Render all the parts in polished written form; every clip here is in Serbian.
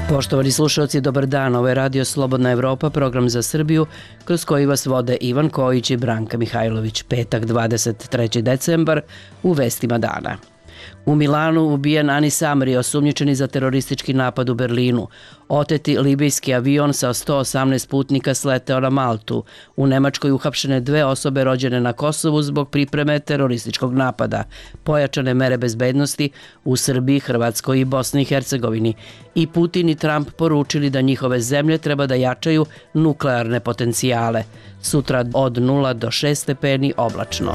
Poštovani slušalci, dobar dan. Ovo je Radio Slobodna Evropa, program za Srbiju, kroz koji vas vode Ivan Kojić i Branka Mihajlović. Petak, 23. decembar, u vestima dana. U Milanu ubijen Anis Amri, osumnjičeni za teroristički napad u Berlinu. Oteti libijski avion sa 118 putnika sleteo na Maltu. U Nemačkoj uhapšene 2 osobe rođene na Kosovu zbog pripreme terorističkog napada. Pojačane mere bezbednosti u Srbiji, Hrvatskoj i Bosni i Hercegovini. I Putin i Trump poručili da njihove zemlje treba da jačaju nuklearne potencijale. Sutra od 0 do 6 stepeni oblačno.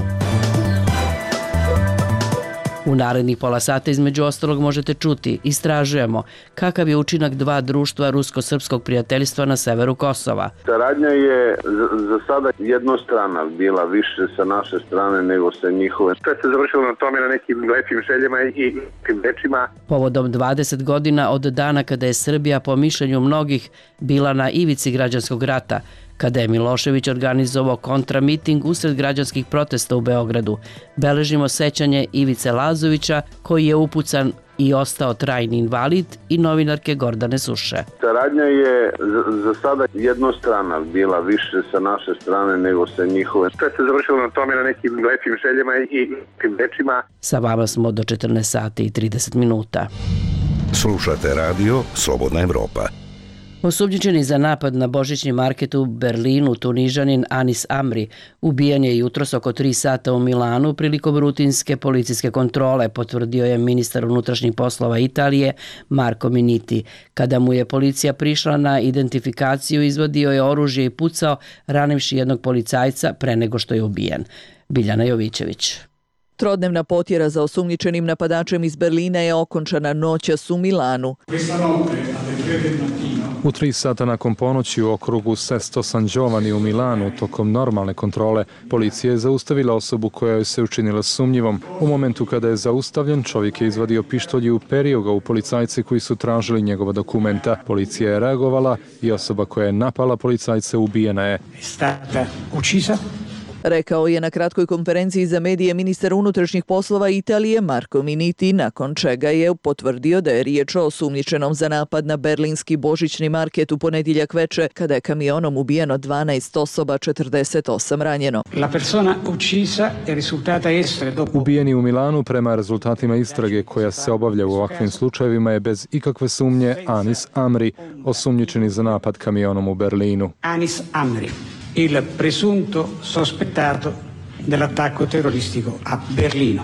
U narednih pola sata između ostalog možete čuti: istražujemo kakav je učinak 2 društva rusko-srpskog prijateljstva na severu Kosova. Saradnja je za sada jednostrana bila, više sa naše strane nego sa njihove. Sve se završilo na tome, na nekim lepim željama i nekim rečima. Povodom 20 godina od dana kada je Srbija po mišljenju mnogih bila na ivici građanskog rata, kada je Milošević organizovao kontramiting usred građanskih protesta u Beogradu, beležimo sećanje Ivice Lazovića, koji je upucan i ostao trajni invalid, i novinarke Gordane Suše. Saradnja je za sada jednostrana bila, više sa naše strane nego sa njihove. Sve se završilo na tome, na nekim lepim željama i nekim rečima. Sa vama smo do 14 sati i 30 minuta. Slušate Radio Slobodna Evropa. Osumnjičeni za napad na božićni market u Berlinu, Tunižanin Anis Amri, ubijen je jutros oko 3 sata u Milanu prilikom rutinske policijske kontrole, potvrdio je ministar unutrašnjih poslova Italije Marco Minniti. Kada mu je policija prišla na identifikaciju, izvadio je oružje i pucao, ranivši jednog policajca pre nego što je ubijen. Biljana Jovićević. Trodnevna potjera za osumnjičenim napadačem iz Berlina je okončana noćas u Milanu. U 3 sata nakon ponoći u okrugu Sesto San Giovanni u Milanu, tokom normalne kontrole, policija je zaustavila osobu koja joj se učinila sumnjivom. U momentu kada je zaustavljen, čovjek je izvadio pištolj i uperio ga u policajce koji su tražili njegova dokumenta. Policija je reagovala i osoba koja je napala policajce ubijena je. Rekao je na kratkoj konferenciji za medije ministar unutrašnjih poslova Italije Marco Minniti, nakon čega je potvrdio da je riječ o osumnjičenom za napad na berlinski božićni market u ponedjeljak veče, kada je kamionom ubijeno 12 osoba, 48 ranjeno. Ubijeni u Milanu, prema rezultatima istrage koja se obavlja u ovakvim slučajevima, je bez ikakve sumnje Anis Amri, osumnjičeni za napad kamionom u Berlinu. Anis Amri, il presunto sospettato dell'attacco terroristico a Berlino.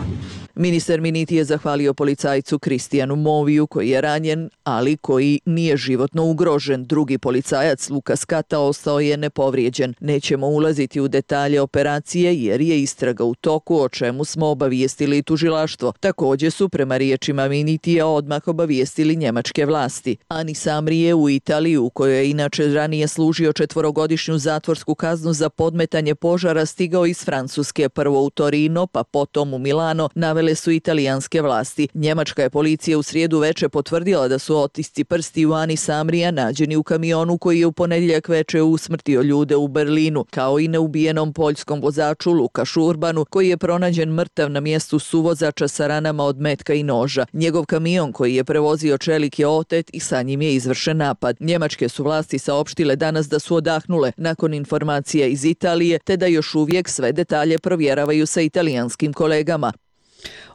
Ministar Minniti je zahvalio policajcu Kristijanu Moviju, koji je ranjen, ali koji nije životno ugrožen. Drugi policajac, Lukas Kata, ostao je nepovrijeđen. Nećemo ulaziti u detalje operacije jer je istraga u toku, o čemu smo obavijestili tužilaštvo. Također su, prema riječima Minnitija, odmah obavijestili njemačke vlasti. Anis Amri je u Italiji, u kojoj je inače ranije služio 4-godišnju zatvorsku kaznu za podmetanje požara, stigao iz Francuske, prvo u Torino, pa potom u Milano, navele su italijanske vlasti. Njemačka je policija u srijedu veče potvrdila da su otisci prsti u Anisa Amrija nađeni u kamionu koji je u ponedjeljak veče usmrtio ljude u Berlinu, kao i neubijenom poljskom vozaču Lukašu Urbanu, koji je pronađen mrtav na mjestu suvozača sa ranama od metka i noža. Njegov kamion koji je prevozio čelik je otet i sa njim je izvršen napad. Njemačke su vlasti saopštile danas da su odahnule nakon informacija iz Italije, te da još uvijek sve detalje provjeravaju sa italijanskim kolegama.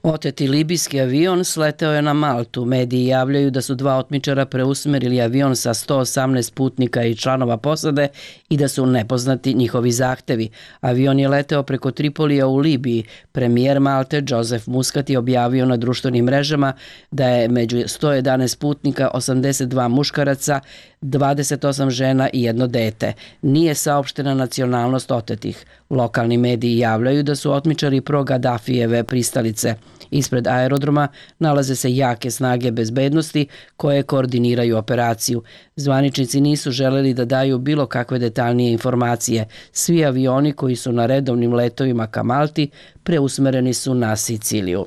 Oteti libijski avion sleteo je na Maltu. Mediji javljaju da su 2 otmičara preusmerili avion sa 118 putnika i članova posade i da su nepoznati njihovi zahtevi. Avion je leteo preko Tripolija u Libiji. Premijer Malte Joseph Muscat je objavio na društvenim mrežama da je među 111 putnika 82 muškaraca, 28 žena i 1 dete. Nije saopštena nacionalnost otetih. Lokalni mediji javljaju da su otmičari pro-Gadafijeve pristalice. Ispred aerodroma nalaze se jake snage bezbednosti koje koordiniraju operaciju. Zvaničnici nisu želeli da daju bilo kakve detaljnije informacije. Svi avioni koji su na redovnim letovima ka Malti preusmereni su na Siciliju.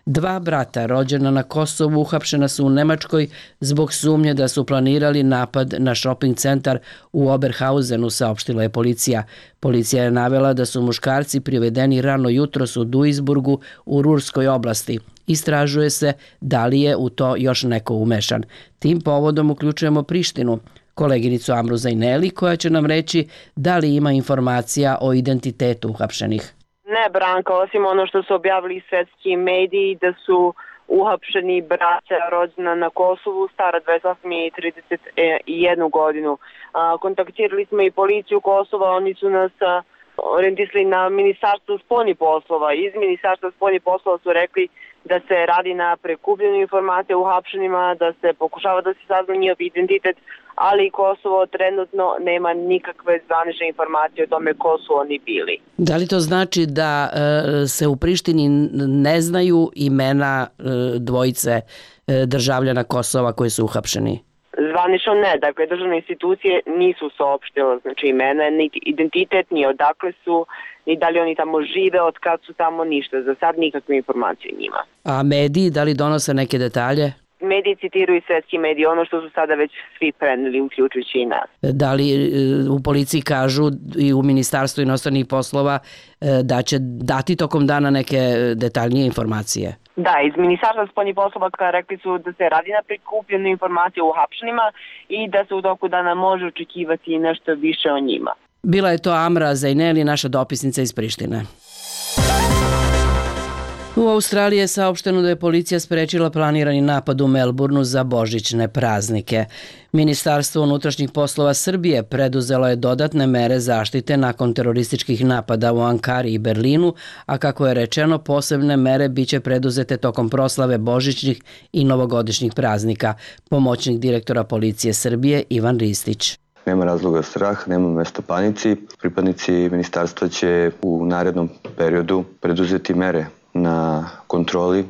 2 brata rođena na Kosovu uhapšena su u Nemačkoj zbog sumnje da su planirali napad na shopping centar u Oberhausenu, saopštila je policija. Policija je navela da su muškarci privedeni rano jutros u Duisburgu u Rurskoj oblasti. Istražuje se da li je u to još neko umešan. Tim povodom uključujemo Prištinu, koleginicu Amru Zajneli, koja će nam reći da li ima informacija o identitetu uhapšenih. Ne, Branka, osim ono što su objavili svetski mediji da su uhapšeni braća rođena na Kosovu, stara 28 i 31 godinu. Kontaktirali smo i policiju Kosova, oni su nas orijentisali na Ministarstvo spoljnih poslova. Iz Ministarstva spoljnih poslova su rekli da se radi na prikupljenju informacija o uhapšenima, da se pokušava da se sazna njihov identitet, ali Kosovo trenutno nema nikakve zvanične informacije o tome ko su oni bili. Da li to znači da se u Prištini ne znaju imena dvojice državljana Kosova koji su uhapšeni? Zvanično ne, dakle državne institucije nisu saopštile znači imena, niti identitet, ni odakle su, ni da li oni tamo žive, od kad su tamo, ništa. Za sad nikakve informacije njima. A mediji, da li donose neke detalje? Mediji citiraju svetski mediji, ono što su sada već svi preneli, uključujući i nas. Da li u policiji kažu i u Ministarstvu inostranih poslova da će dati tokom dana neke detaljnije informacije? Da, iz Ministarstva spoljnih poslova rekli su da se radi na prikupljenju informacije o uhapšenima i da se u toku dana može očekivati nešto više o njima. Bila je to Amra Zajneli, naša dopisnica iz Prištine. U Australiji je saopšteno da je policija sprečila planirani napad u Melbourneu za božićne praznike. Ministarstvo unutrašnjih poslova Srbije preduzelo je dodatne mere zaštite nakon terorističkih napada u Ankari i Berlinu, a kako je rečeno, posebne mere biće preduzete tokom proslave božićnih i novogodišnjih praznika. Pomoćnik direktora policije Srbije Ivan Ristić. Nema razloga strah, nema mesta panici. Pripadnici ministarstva će u narednom periodu preduzeti mere na kontroli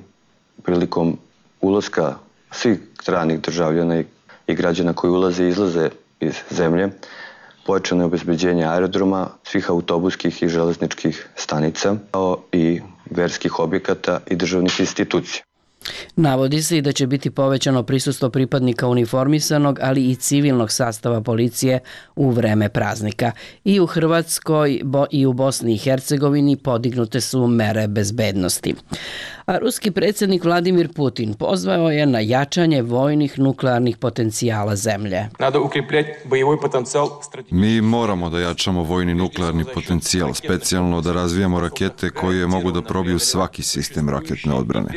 prilikom ulaska svih stranih državljana i građana koji ulaze i izlaze iz zemlje, pojačano obezbeđenje aerodroma, svih autobuskih i železničkih stanica, kao i verskih objekata i državnih institucija. Navodi se i da će biti povećano prisustvo pripadnika uniformisanog, ali i civilnog sastava policije u vreme praznika. I u Hrvatskoj i u Bosni i Hercegovini podignute su mere bezbednosti. A ruski predsjednik Vladimir Putin pozvao je na jačanje vojnih nuklearnih potencijala zemlje. Mi moramo da jačamo vojni nuklearni potencijal, specijalno da razvijamo rakete koje mogu da probiju svaki sistem raketne odbrane.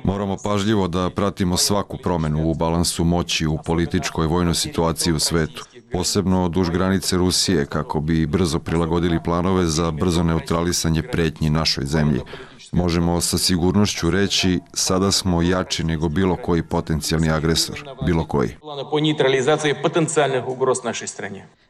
Moramo pažljivo da pratimo svaku promenu u balansu moći u političkoj i vojnoj situaciji u svetu, posebno duž granice Rusije, kako bi brzo prilagodili planove za brzo neutralisanje pretnji našoj zemlji. Možemo sa sigurnošću reći, sada smo jači nego bilo koji potencijalni agresor, bilo koji.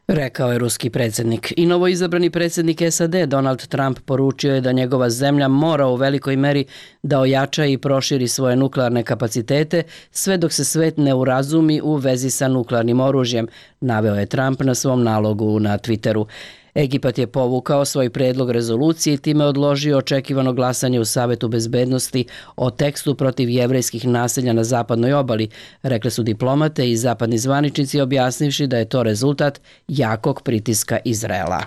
Rekao je ruski predsjednik. I novoizabrani predsjednik SAD Donald Trump poručio je da njegova zemlja mora u velikoj meri da ojača i proširi svoje nuklearne kapacitete sve dok se svet ne urazumi u vezi sa nuklearnim oružjem, naveo je Trump na svom nalogu na Twitteru. Egipat je povukao svoj predlog rezolucije i time odložio očekivano glasanje u Savetu bezbednosti o tekstu protiv jevrejskih naselja na zapadnoj obali, rekli su diplomate i zapadni zvaničnici, objasnivši da je to rezultat jakog pritiska Izraela.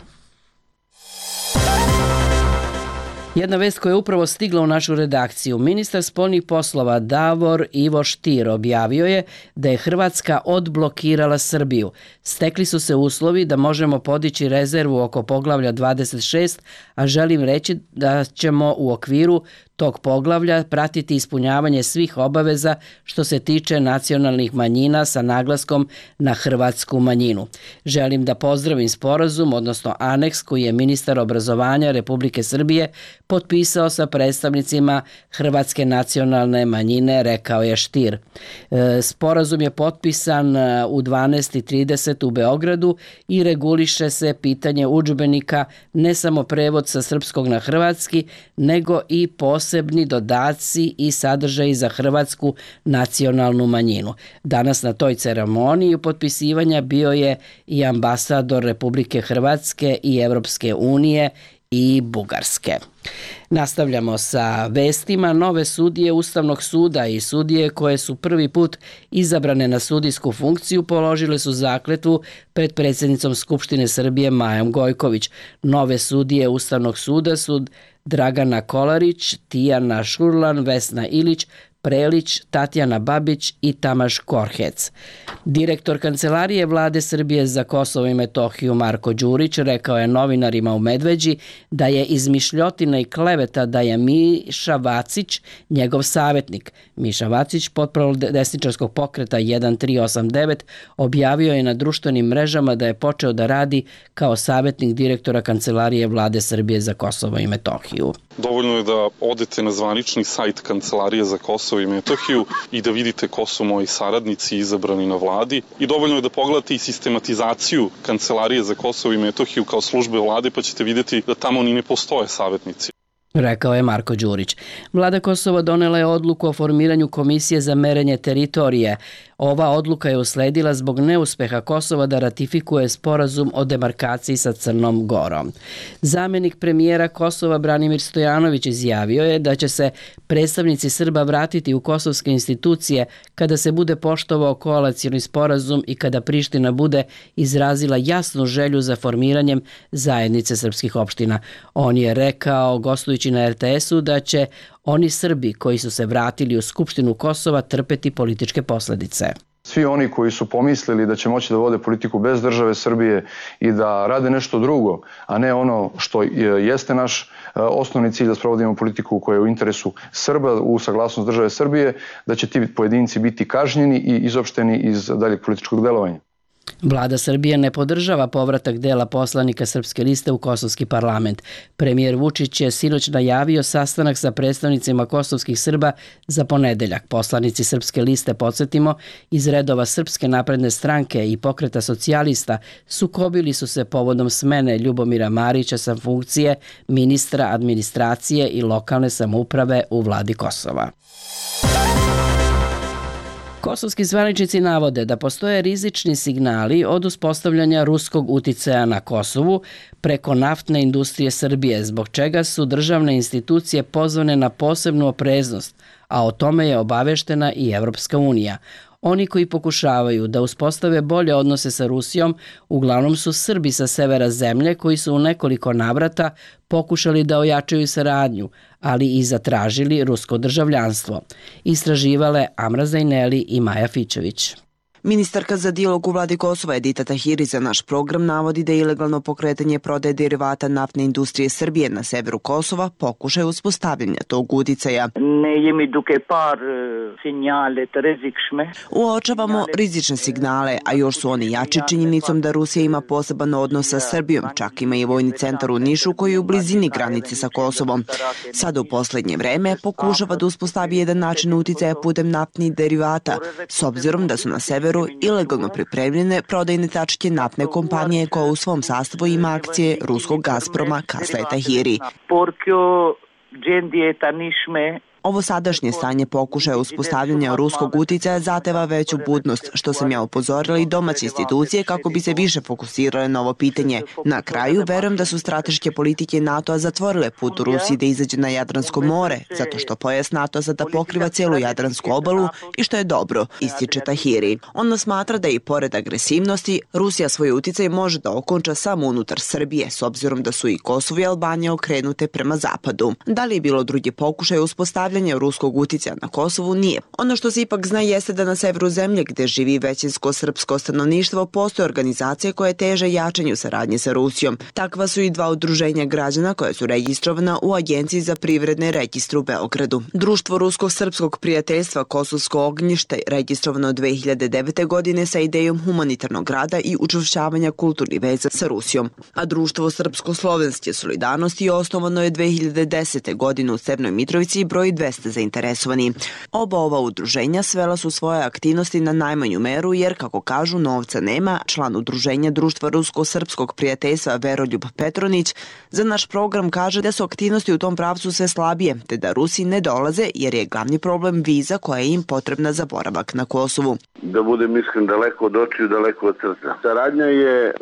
Jedna vest koja je upravo stigla u našu redakciju. Ministar spoljnih poslova Davor Ivo Stier objavio je da je Hrvatska odblokirala Srbiju. Stekli su se uslovi da možemo podići rezervu oko poglavlja 26, a želim reći da ćemo u okviru tog poglavlja pratiti ispunjavanje svih obaveza što se tiče nacionalnih manjina sa naglaskom na hrvatsku manjinu. Želim da pozdravim sporazum, odnosno aneks koji je ministar obrazovanja Republike Srbije potpisao sa predstavnicima hrvatske nacionalne manjine, rekao je Stier. Sporazum je potpisan u 12:30 u Beogradu i reguliše se pitanje udžbenika, ne samo prevod sa srpskog na hrvatski, nego i posebni dodaci i sadržaji za hrvatsku nacionalnu manjinu. Danas na toj ceremoniji potpisivanja bio je i ambasador Republike Hrvatske i Evropske unije i Bugarske. Nastavljamo sa vestima. Nove sudije Ustavnog suda i sudije koje su prvi put izabrane na sudijsku funkciju položile su zakletvu pred predsjednicom Skupštine Srbije Majom Gojković. Nove sudije Ustavnog suda su Dragana Kolarić, Tijana Šurlan, Vesna Ilić, Prelić, Tatjana Babić i Tamaš Korhec. Direktor Kancelarije Vlade Srbije za Kosovo i Metohiju Marko Đurić rekao je novinarima u Medveđi da je izmišljotina i kleveta da je Miša Vacić njegov savjetnik. Miša Vacić, portparol desničarskog pokreta 1389, objavio je na društvenim mrežama da je počeo da radi kao savjetnik direktora Kancelarije Vlade Srbije za Kosovo i Metohiju. Dovoljno je da odete na zvanični sajt Kancelarije za Kosovo i Metohiju i da vidite ko su moji saradnici izabrani na vladi. I dovoljno je da pogledate i sistematizaciju Kancelarije za Kosovo i Metohiju kao službe vlade, pa ćete vidjeti da tamo ni ne postoje savjetnici. Rekao je Marko Đurić. Vlada Kosova donela je odluku o formiranju komisije za merenje teritorije. Ova odluka je usledila zbog neuspeha Kosova da ratifikuje sporazum o demarkaciji sa Crnom Gorom. Zamjenik premijera Kosova Branimir Stojanović izjavio je da će se predstavnici Srba vratiti u kosovske institucije kada se bude poštovao koalicijni sporazum i kada Priština bude izrazila jasnu želju za formiranjem zajednice srpskih opština. On je rekao, gostujući na RTS-u, da će oni Srbi koji su se vratili u Skupštinu Kosova trpeti političke posljedice. Svi oni koji su pomislili da će moći da vode politiku bez države Srbije i da rade nešto drugo, a ne ono što jeste naš osnovni cilj da sprovodimo politiku koja je u interesu Srba u saglasnost države Srbije, da će ti pojedinci biti kažnjeni i izopšteni iz daljeg političkog delovanja. Vlada Srbije ne podržava povratak dela poslanika Srpske liste u kosovski parlament. Premijer Vučić je sinoć najavio sastanak sa predstavnicima kosovskih Srba za ponedeljak. Poslanici Srpske liste, podsjetimo, iz redova Srpske napredne stranke i Pokreta socijalista sukobili su se povodom smene Ljubomira Marića sa funkcije ministra administracije i lokalne samouprave u vladi Kosova. Kosovski zvaničnici navode da postoje rizični signali od uspostavljanja ruskog uticaja na Kosovu preko naftne industrije Srbije, zbog čega su državne institucije pozvane na posebnu opreznost, a o tome je obaveštena i Evropska unija. Oni koji pokušavaju da uspostave bolje odnose sa Rusijom uglavnom su Srbi sa severa zemlje koji su u nekoliko navrata pokušali da ojačaju saradnju, ali i zatražili rusko državljanstvo. Istraživale Amra Zajneli i Maja Fičević. Ministarka za dijalog u vladi Kosova Edita Tahiri za naš program navodi da je ilegalno pokretanje prodaje derivata naftne industrije Srbije na severu Kosova pokušaj uspostavljanja tog uticaja. Uočavamo rizične signale, a još su oni jači činjenicom da Rusija ima poseban odnos sa Srbijom, čak ima i vojni centar u Nišu koji je u blizini granice sa Kosovom. Sada u posljednje vreme pokušava da uspostavi jedan način uticaja putem naftnih derivata, s obzirom da su na severu ilegalno pripremljene prodajne tačke naftne kompanije koja u svom sastavu ima akcije ruskog Gazproma, kazala Tahiri. Ovo sadašnje stanje pokušaja uspostavljanja ruskog uticaja zateva veću budnost, što sam ja upozorila i domaće institucije kako bi se više fokusirale na ovo pitanje. Na kraju, verujem da su strateške politike NATO-a zatvorile put u Rusiji da izađe na Jadransko more, zato što pojas NATO sada pokriva cijelu Jadransku obalu i što je dobro, ističe Tahiri. Ona smatra da i pored agresivnosti, Rusija svoj uticaj može da okonča samo unutar Srbije, s obzirom da su i Kosovo i Albanija okrenute prema zapadu. Da li je bilo drugi pokušaj uspostavljanja ruskog uticaja na Kosovu? Nije. Ono što se ipak zna jeste da na severu zemlje, gde živi većinsko srpsko stanovništvo, postoje organizacije koje teže jačanju saradnje sa Rusijom. Takva su i dva udruženja građana koja su registrovana u Agenciji za privredne registre u Beogradu. Društvo Rusko-srpskog prijateljstva Kosovsko ognjište registrovano 2009. godine sa idejom humanitarnog rada i učvršćavanja kulturnih veza sa Rusijom. A Društvo Srpsko-slovenske solidarnosti osnovano je 2010. godine u Crnoj Mitrovici i broji 200 zainteresovani. Oba ova udruženja svela su svoje aktivnosti na najmanju meru jer, kako kažu, novca nema. Član udruženja Društva Rusko-Srpskog prijateljstva Veroljub Petronić za naš program kaže da su aktivnosti u tom pravcu sve slabije, te da Rusi ne dolaze jer je glavni problem viza koja je im potrebna za boravak na Kosovu. Da budem iskren, daleko od očiju, daleko od srca. Saradnja je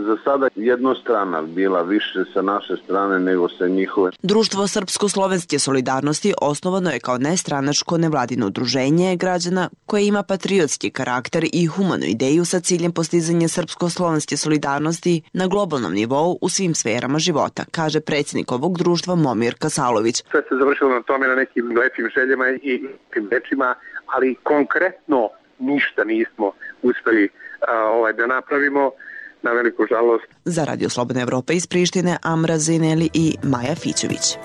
za sada jednostrana bila, više sa naše strane nego sa njihove. Društvo Srpsko-slovenske solidarnosti osnovano je kao nestranačko nevladino udruženje građana koje ima patriotski karakter i humanu ideju sa ciljem postizanja srpsko-slovenske solidarnosti na globalnom nivou u svim sferama života, kaže predsjednik ovog društva Momir Kasalović. Sve se završilo na tome, na nekim lepim željama i lepim rečima, ali konkretno ništa nismo uspeli da napravimo, na veliku žalost. Za Radio Slobodna Evropa iz Prištine, Amra Zineli i Maja Fićević.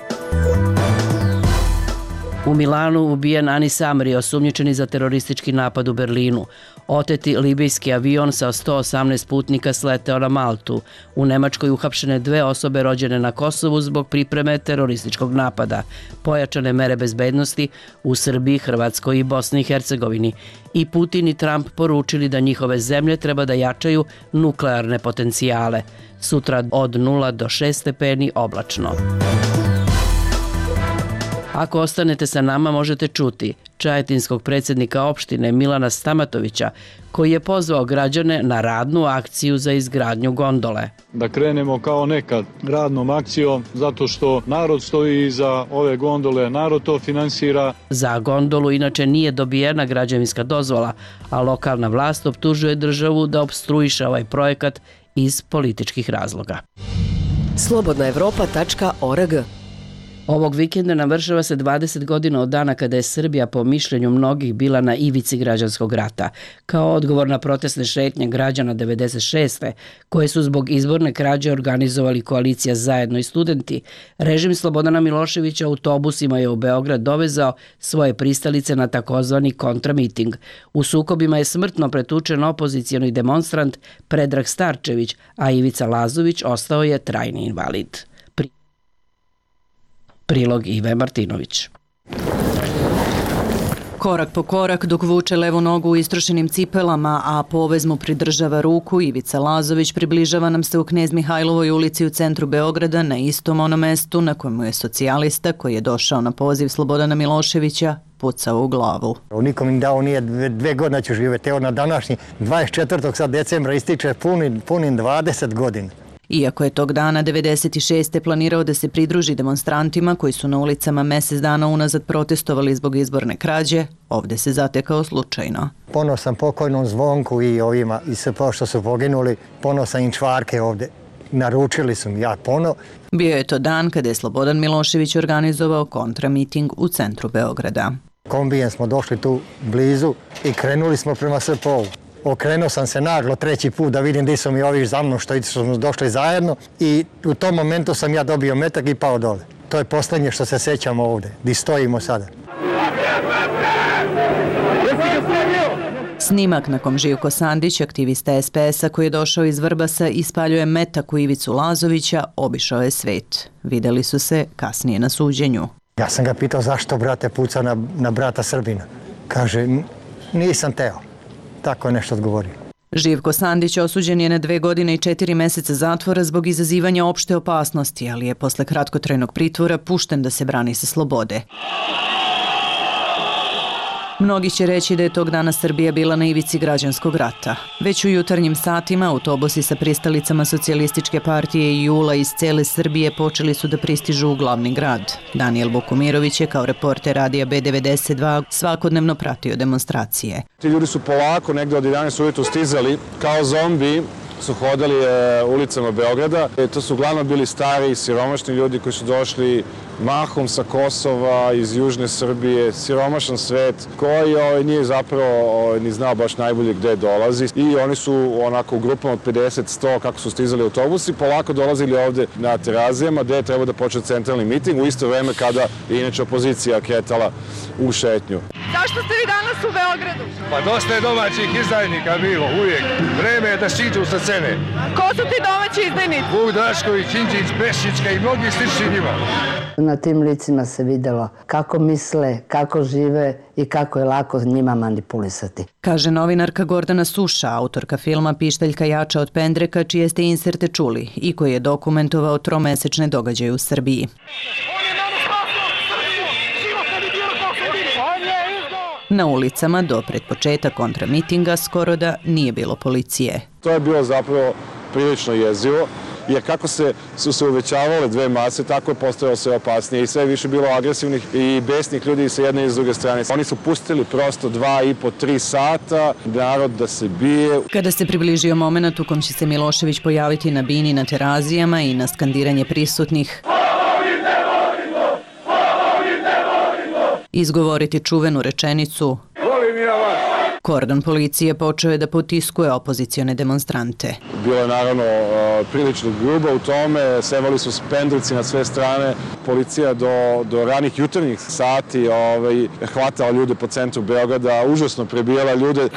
U Milanu ubijen Anis Amri, osumnjičeni za teroristički napad u Berlinu. Oteti libijski avion sa 118 putnika sleteo na Maltu. U Nemačkoj uhapšene 2 osobe rođene na Kosovu zbog pripreme terorističkog napada. Pojačane mere bezbednosti u Srbiji, Hrvatskoj i Bosni i Hercegovini. I Putin i Trump poručili da njihove zemlje treba da jačaju nuklearne potencijale. Sutra od 0 do 6 stepeni oblačno. Ako ostanete sa nama, možete čuti čajetinskog predsjednika opštine Milana Stamatovića, koji je pozvao građane na radnu akciju za izgradnju gondole. Da krenemo kao nekad radnom akcijom, zato što narod stoji iza ove gondole, narod to finansira. Za gondolu inače nije dobijena građevinska dozvola, a lokalna vlast optužuje državu da opstruiše ovaj projekat iz političkih razloga. slobodnaevropa.org. Ovog vikenda navršava se 20 godina od dana kada je Srbija po mišljenju mnogih bila na ivici građanskog rata. Kao odgovor na protestne šetnje građana 96. koje su zbog izborne krađe organizovali koalicija Zajedno i studenti, režim Slobodana Miloševića autobusima je u Beograd dovezao svoje pristalice na takozvani kontramiting. U sukobima je smrtno pretučen opozicijoni demonstrant Predrag Starčević, a Ivica Lazović ostao je trajni invalid. Prilog Ive Martinović. Korak po korak dok vuče levu nogu u istrošenim cipelama, a povez mu pridržava ruku, Ivica Lazović približava nam se u Knez Mihajlovoj ulici u centru Beograda na istom onom mestu na kojemu je socijalista koji je došao na poziv Slobodana Miloševića pucao u glavu. Nikom im dao nije 2 godine ću živjeti. Evo na današnji 24. sad decembra ističe punim 20 godina. Iako je tog dana 96. planirao da se pridruži demonstrantima koji su na ulicama mjesec dana unazad protestovali zbog izborne krađe, ovdje se zatekao slučajno. Ponosan pokojnom Zvonku i ovima i sve što su poginuli, ponosan im čvarke ovdje. Naručili su mi, ja pono. Bio je to dan kada je Slobodan Milošević organizovao kontramiting u centru Beograda. Kombijem smo došli tu blizu i krenuli smo prema SPO-u. Okrenuo sam se naglo 3. put da vidim gdje su mi ovi za mnom što smo došli zajedno i u tom momentu sam ja dobio metak i pao dole. To je posljednje što se sećamo ovdje, gdje stojimo sada. Snimak na kom Živko Sandić, aktivista SPS-a koji je došao iz Vrbasa i ispaljuje metak u Ivicu Lazovića, obišao je svet. Videli su se kasnije na suđenju. Ja sam ga pitao zašto brate puca na brata Srbina. Kaže, nisam teo. Tako je nešto odgovorio. Živko Sandić osuđen je na 2 godine i 4 mjeseca zatvora zbog izazivanja opšte opasnosti, ali je posle kratkotrajnog pritvora pušten da se brani sa slobode. Mnogi će reći da je tog dana Srbija bila na ivici građanskog rata. Već u jutarnjim satima autobusi sa pristalicama Socijalističke partije i JUL-a iz cele Srbije počeli su da pristižu u glavni grad. Daniel Bokumirović je kao reporter radija B92 svakodnevno pratio demonstracije. Ti ljudi su polako negde od 11 ujutru stizali kao zombi, su hodali ulicama Beograda. To su uglavnom bili stari, siromašni ljudi koji su došli mahom sa Kosova, iz južne Srbije, siromašan svet koji nije zapravo ni znao baš najbolje gde dolazi. I oni su onako u grupama od 50-100 kako su stizali autobusi, polako dolazili ovde na Terazijama gde je trebao da počne centralni miting u isto vreme kada je inače opozicija kretala u šetnju. Zašto ste vi danas u Beogradu? Pa dosta je domaćih izdajnika bilo, uvijek. Vreme je da siđu sa scene. Ko su ti domaći izdajnici? Vuk Drašković, Đinđić, Pešićka i mnogi slični njima. na tim licima se videlo kako misle, kako žive i kako je lako njima manipulisati. Kaže novinarka Gordana Suša, autorka filma Pištaljka jača od pendreka, čije ste inserte čuli i koji je dokumentovao tromesečne događaje u Srbiji. Na ulicama do pred početka kontramitinga skoro da nije bilo policije. To je bilo zapravo prilično jezivo, jer kako su se uvećavale dve mase, tako je postojalo sve opasnije i sve više bilo agresivnih i besnih ljudi sa jedne i s druge strane. Oni su pustili prosto 2,5-3 sata narod da se bije. Kada se približio moment u kom će se Milošević pojaviti na bini na terazijama i na skandiranje prisutnih, izgovoriti čuvenu rečenicu kordon policije počeo je da potiskuje opozicione demonstrante. Bilo je naravno prilično grubo u tome, sevali su pendreci na sve strane. Policija do ranih jutarnjih sati hvatala ljude po centru Beograda, užasno prebijala ljude.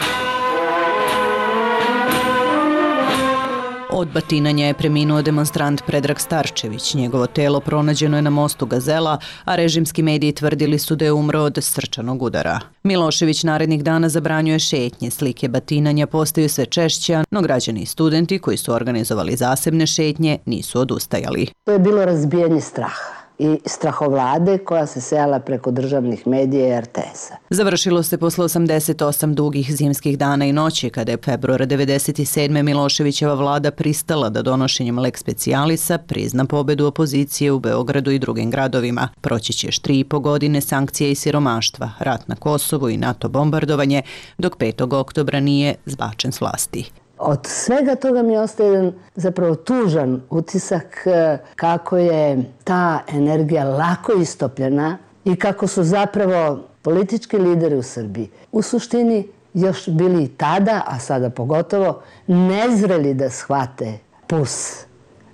Od batinanja je preminuo demonstrant Predrag Starčević. Njegovo telo pronađeno je na mostu Gazela, a režimski mediji tvrdili su da je umro od srčanog udara. Milošević narednih dana zabranjuje šetnje, slike batinanja postaju sve češće, no građani i studenti koji su organizovali zasebne šetnje nisu odustajali. To je bilo razbijanje straha i strahovlade koja se sejala preko državnih medija i RTS-a. Završilo se posle 88 dugih zimskih dana i noći, kada je februara 1997. Miloševićeva vlada pristala da donošenjem lex specialisa prizna pobedu opozicije u Beogradu i drugim gradovima. Proći će još 3,5 godine sankcija i siromaštva, rat na Kosovu i NATO bombardovanje, dok 5. oktobra nije zbačen s vlasti. Od svega toga mi ostaje jedan zapravo tužan utisak kako je ta energija lako istopljena i kako su zapravo politički lideri u Srbiji u suštini još bili i tada, a sada pogotovo, nezreli da shvate puls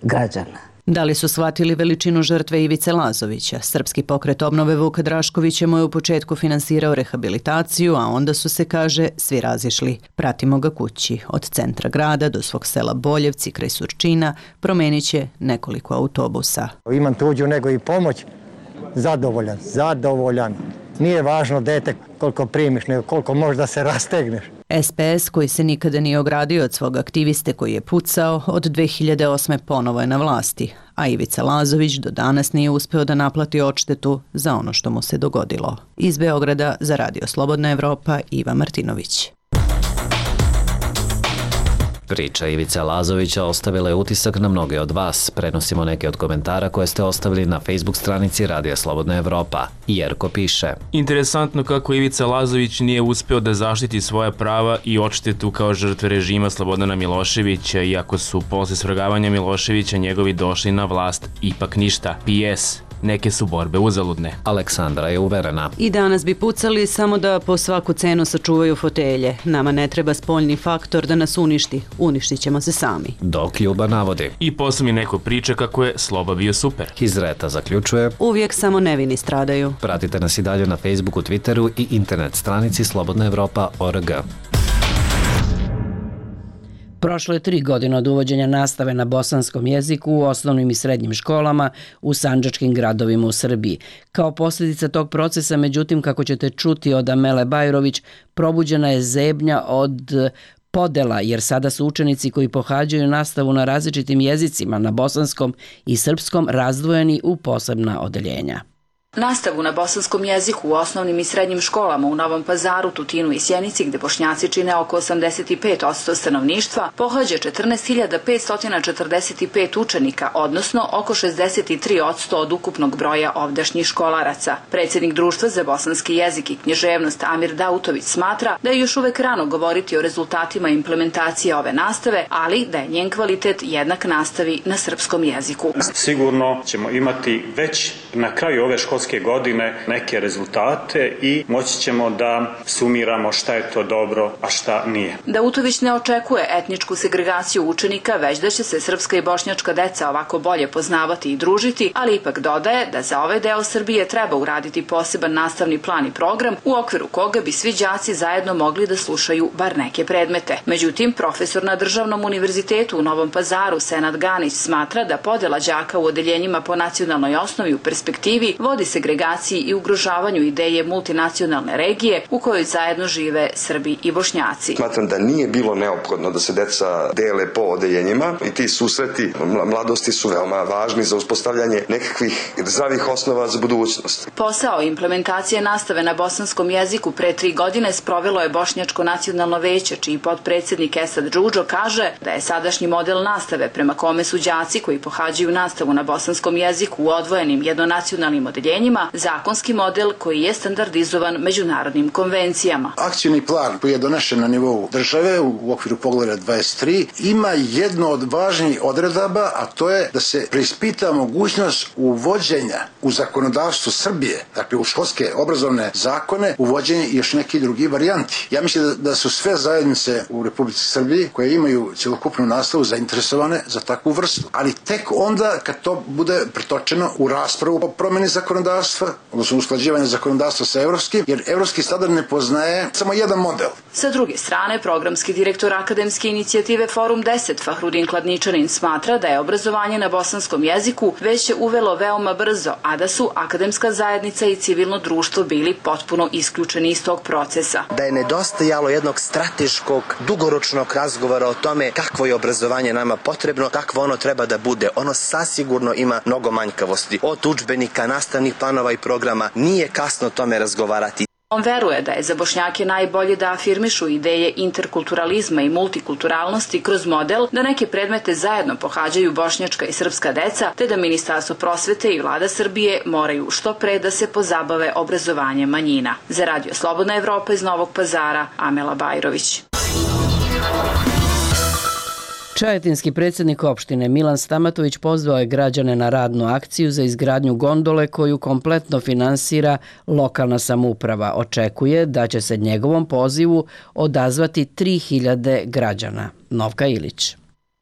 građana. Da li su shvatili veličinu žrtve Ivice Lazovića? Srpski pokret obnove Vuka Draškovića mu je u početku finansirao rehabilitaciju, a onda su se, kaže, svi razišli. Pratimo ga kući. Od centra grada do svog sela Boljevci kraj Surčina promenit će nekoliko autobusa. Imam tuđu nego i pomoć. Zadovoljan. Nije važno dete koliko primiš, nego koliko možda se rastegneš. SPS, koji se nikada nije ogradio od svog aktiviste koji je pucao, od 2008. ponovo je na vlasti, a Ivica Lazović do danas nije uspeo da naplati odštetu za ono što mu se dogodilo. Iz Beograda za Radio Slobodna Evropa, Iva Martinović. Priča Ivice Lazovića ostavila je utisak na mnoge od vas. Prenosimo neke od komentara koje ste ostavili na Facebook stranici Radija Slobodna Evropa. Jerko piše: Interesantno kako Ivica Lazović nije uspeo da zaštiti svoja prava i odštetu kao žrtve režima Slobodana Miloševića, iako su posle svrgavanja Miloševića njegovi došli na vlast, ipak ništa. PS. Neke su borbe uzaludne. Aleksandra je uverena. I danas bi pucali samo da po svaku cenu sačuvaju fotelje. Nama ne treba spoljni faktor da nas uništi. Uništit ćemo se sami. Dok Ljuba navodi. I posle mi neko priča kako je Sloba bio super. Hizreta zaključuje. Uvijek samo nevini stradaju. Pratite nas i dalje na Facebooku, Twitteru i internet stranici slobodnaevropa.org. Prošlo je 3 godine od uvođenja nastave na bosanskom jeziku u osnovnim i srednjim školama u sandžačkim gradovima u Srbiji. Kao posljedica tog procesa, međutim, kako ćete čuti od Amele Bajrović, probuđena je zebnja od podela, jer sada su učenici koji pohađaju nastavu na različitim jezicima, na bosanskom i srpskom, razdvojeni u posebna odeljenja. Nastavu na bosanskom jeziku u osnovnim i srednjim školama u Novom Pazaru, Tutinu i Sjenici, gde Bošnjaci čine oko 85% stanovništva, pohađa 14.545 učenika, odnosno oko 63% od ukupnog broja ovdašnjih školaraca. Predsjednik Društva za bosanski jezik i književnost Amir Dautović smatra da je još uvek rano govoriti o rezultatima implementacije ove nastave, ali da je njen kvalitet jednak nastavi na srpskom jeziku. Sigurno ćemo imati već na kraju ove školske školske godine neke rezultate i moći ćemo da sumiramo šta je to dobro, a šta nije. Dautović ne očekuje etničku segregaciju učenika, već da će se srpska i bošnjačka deca ovako bolje poznavati i družiti, ali ipak dodaje da za ovaj deo Srbije treba uraditi poseban nastavni plan i program u okviru koga bi svi đaci zajedno mogli da slušaju bar neke predmete. Međutim, profesor na Državnom univerzitetu u Novom Pazaru Senad Ganić smatra da podela đaka u odeljenjima po nacionalnoj osnovi u perspektivi vodi segregaciji i ugrožavanju ideje multinacionalne regije u kojoj zajedno žive Srbi i Bošnjaci. Smatram da nije bilo neophodno da se deca dele po odeljenjima i ti susreti mladosti su veoma važni za uspostavljanje nekakvih zdravih osnova za budućnost. Posao implementacije nastave na bosanskom jeziku pre 3 godine sprovelo je Bošnjačko nacionalno veće, čiji potpredsednik Esad Džudžo kaže da je sadašnji model nastave prema kome su đaci koji pohađaju nastavu na bosanskom jeziku u odvojenim jednonacionalnim odeljenjima zakonski model koji je standardizovan međunarodnim konvencijama. Akcioni plan koji je donešen na nivou države u okviru Poglavlja 23 ima jedno od važnijih odredaba, a to je da se preispita mogućnost uvođenja u zakonodavstvo Srbije, dakle u školske obrazovne zakone, uvođenje i još neki drugi varijanti. Ja mislim da su sve zajednice u Republici Srbiji koje imaju cjelokupnu nastavu zainteresovane za takvu vrstu. Ali tek onda kad to bude pretočeno u raspravu o promeni zakonodavstva, odnosno usklađivanje zakonodavstva sa evropskim, jer evropski standard ne poznaje samo jedan model. Sa druge strane, programski direktor akademske inicijative Forum 10 Fahrudin Kladničanin smatra da je obrazovanje na bosanskom jeziku već je uvelo veoma brzo, a da su akademska zajednica i civilno društvo bili potpuno isključeni iz tog procesa. Da je nedostajalo jednog strateškog, dugoročnog razgovora o tome kakvo je obrazovanje nama potrebno, kakvo ono treba da bude. Ono sasigurno ima mnogo manjkavosti. Od udžbenika, nastavnih planova i programa nije kasno o tome razgovarati. On veruje da je za Bošnjake najbolje da afirmišu ideje interkulturalizma i multikulturalnosti kroz model da neke predmete zajedno pohađaju bošnjačka i srpska deca, te da Ministarstvo prosvete i Vlada Srbije moraju što pre da se pozabave obrazovanjem manjina. Za Radio Slobodna Evropa iz Novog Pazara, Amela Bajrović. Čajetinski predsjednik opštine Milan Stamatović pozvao je građane na radnu akciju za izgradnju gondole koju kompletno finansira lokalna samouprava. Očekuje da će se njegovom pozivu odazvati 3000 građana. Novka Ilić.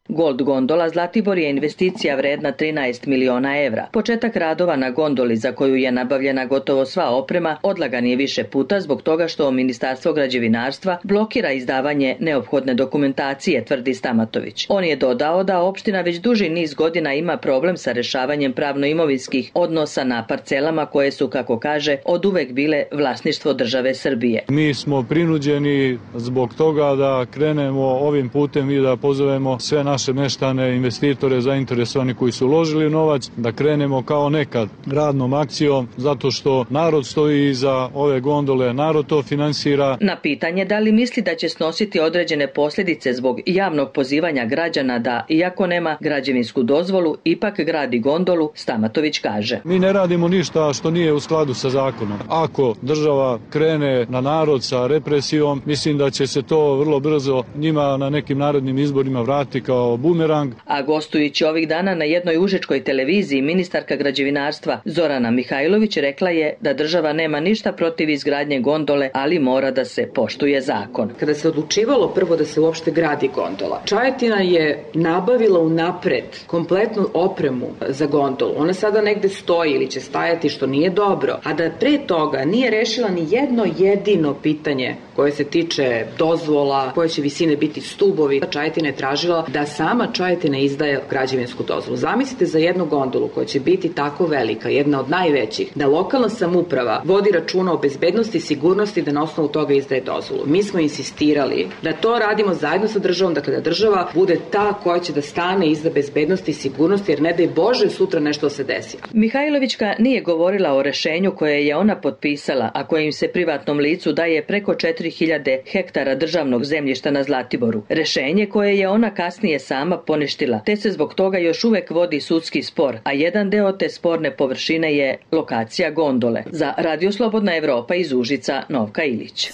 Gold gondola Zlatibor je investicija vredna 13 miliona evra. Početak radova na gondoli za koju je nabavljena gotovo sva oprema odlagan je više puta zbog toga što Ministarstvo građevinarstva blokira izdavanje neophodne dokumentacije, tvrdi Stamatović. On je dodao da opština već duži niz godina ima problem sa rešavanjem pravno-imovinskih odnosa na parcelama koje su, kako kaže, oduvek bile vlasništvo države Srbije. Mi smo prinuđeni zbog toga da krenemo ovim putem i da pozovemo sve naše meštane, investitore, zainteresovani koji su uložili novac, da krenemo kao nekad radnom akcijom, zato što narod stoji iza ove gondole, narod to finansira. Na pitanje da li misli da će snositi određene posljedice zbog javnog pozivanja građana da, iako nema građevinsku dozvolu, ipak gradi gondolu, Stamatović kaže. Mi ne radimo ništa što nije u skladu sa zakonom. Ako država krene na narod sa represijom, mislim da će se to vrlo brzo njima na nekim narednim izborima vratiti kao bumerang. A gostujući ovih dana na jednoj užičkoj televiziji, ministarka građevinarstva Zorana Mihajlović rekla je da država nema ništa protiv izgradnje gondole, ali mora da se poštuje zakon. Kada se odlučivalo prvo da se uopšte gradi gondola, Čajetina je nabavila unapred kompletnu opremu za gondolu. Ona sada negde stoji ili će stajati, što nije dobro, a da pre toga nije rešila ni jedno jedino pitanje koje se tiče dozvola, koje će visine biti stubovi. Čajetina je tražila da sama Čajetina izdaje građevinsku dozvolu. Zamislite za jednu gondolu koja će biti tako velika, jedna od najvećih, da lokalna samouprava vodi računa o bezbednosti i sigurnosti da na osnovu toga izdaje dozvolu. Mi smo insistirali da to radimo zajedno sa državom, dakle da država bude ta koja će da stane iza bezbednosti i sigurnosti, jer ne daj Bože sutra nešto se desi. Mihajlovićka nije govorila o rešenju koje je ona potpisala, a kojim se privatnom licu daje preko 4000 hektara državnog zemljišta na Zlatiboru. Rešenje koje je ona kasnije sama poništila, te se zbog toga još uvek vodi sudski spor, a jedan deo te sporne površine je lokacija gondole. Za Radio Slobodna Evropa iz Užica, Novka Ilić.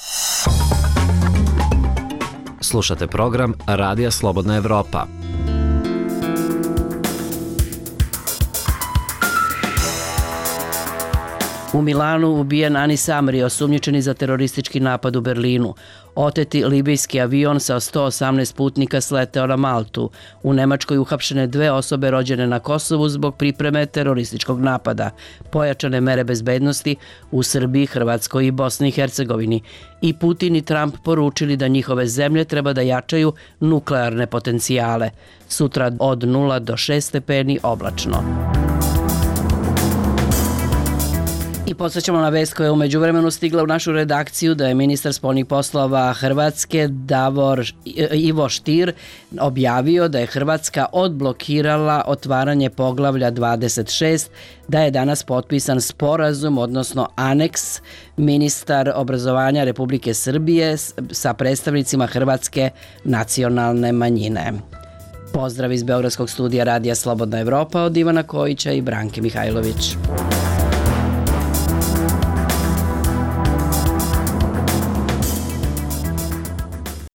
Slušate program Radija Slobodna Evropa. U Milanu ubijen Anis Amri, osumnjičeni za teroristički napad u Berlinu. Oteti libijski avion sa 118 putnika sleteo na Maltu. U Nemačkoj uhapšene 2 osobe rođene na Kosovu zbog pripreme terorističkog napada. Pojačane mere bezbednosti u Srbiji, Hrvatskoj i Bosni i Hercegovini. I Putin i Trump poručili da njihove zemlje treba da jačaju nuklearne potencijale. Sutra od 0 do 6 stepeni oblačno. I podsjećamo na vest koja je umeđu vremenu stigla u našu redakciju da je ministar spoljnih poslova Hrvatske Ivo Stier objavio da je Hrvatska odblokirala otvaranje poglavlja 26, da je danas potpisan sporazum, odnosno aneks, ministar obrazovanja Republike Srbije sa predstavnicima Hrvatske nacionalne manjine. Pozdrav iz Beogradskog studija Radija Slobodna Evropa od Ivana Kojića i Branke Mihajlović.